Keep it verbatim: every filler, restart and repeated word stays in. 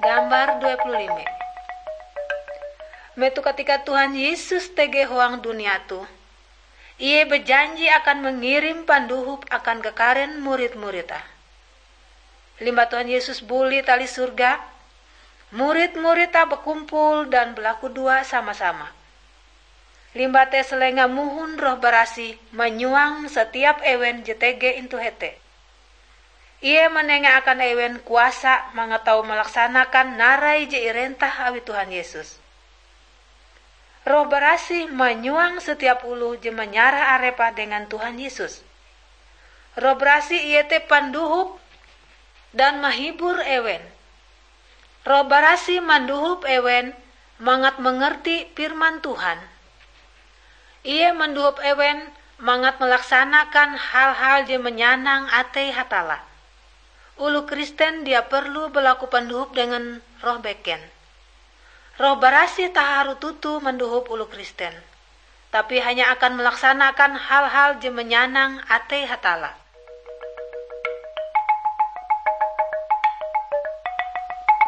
Gambar dua puluh lima. Metoh katika Tuhan Yesus tege huang dunia toh, Ie bajanji akan mangirim pandohop akan kakaren murid-murid-Te. Limbah Tuhan Yesus buli tali surga, murid-murid-Te bakumpul dan balakudoa sama-sama. Limbah te salenga mohon Roh Barasih manyuang satiap ewen je tege intu hete. Ie manenga akan ewen kuasa mangat tau malaksanakan narai je irentah awi Tuhan Yesus. Roh Barasih manyuang satiap oloh je manyarah arepe dengan Tuhan Yesus. Roh Barasih iete pandohop dan mahibur ewen. Roh Barasih mandohop ewen mangat mangerti firman Tuhan. Ie mandohop ewen mangat malaksanakan hal-hal je manyanang atei Hatalla. Oloh Kristen dia perlu balaku pandohop dengan roh beken. Roh Barasih taharu toto mandohop oloh Kristen, tapi hanya akan malaksanakan hal-hal je manyanang atei Hatalla.